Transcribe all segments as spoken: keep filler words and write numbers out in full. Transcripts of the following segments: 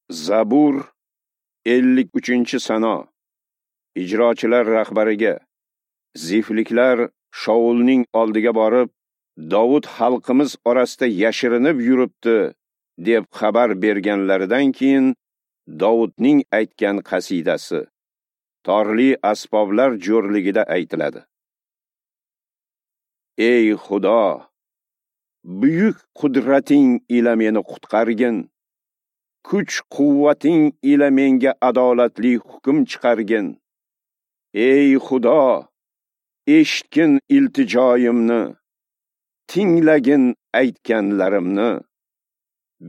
Zabur ellik uchinchi sano. Ijrochilar rahbariga. Zifliklar Shaulning oldiga borib, Dovud xalqimiz orasida yashirinib yuribdi deb xabar berganlaridan keyin Dovudning aytgan qasidasi torli asboblar jo'rligida aytiladi. Ey Xudo, buyuk qudrating ila meni qutqargin. Kuch quvvating ila menga adolatli hukm chiqargin. Ey Xudo, eshitgin iltijoyimni, tinglagin aytganlarimni.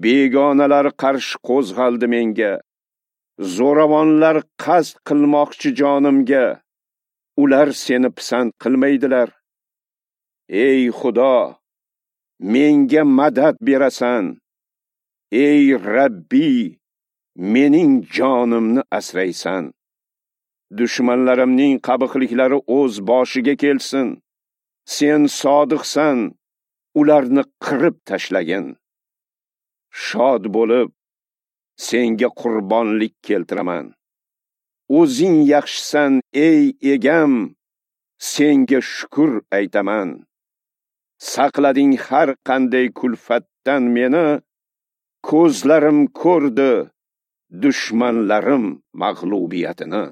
Begonalar qarshi qo'zg'aldi menga, zo'ravonlar qasd qilmoqchi jonimga. Ular seni pisand qilmaydilar. Ey Xudo, menga madad berasan. Ey Rabbi, mening jonimni asraysan. Dushmanlarimning qabihliklari o'z boshiga kelsin. Sen sodiqsan, ularni qirib tashlagin. Shod bo'lib, senga qurbonlik keltiraman. O'zing yaxshisan, ey egam, senga shukr aytaman. Saqlading har qanday kulfatdan meni, ko'zlarim ko'rdi dushmanlarim mag'lubiyatini.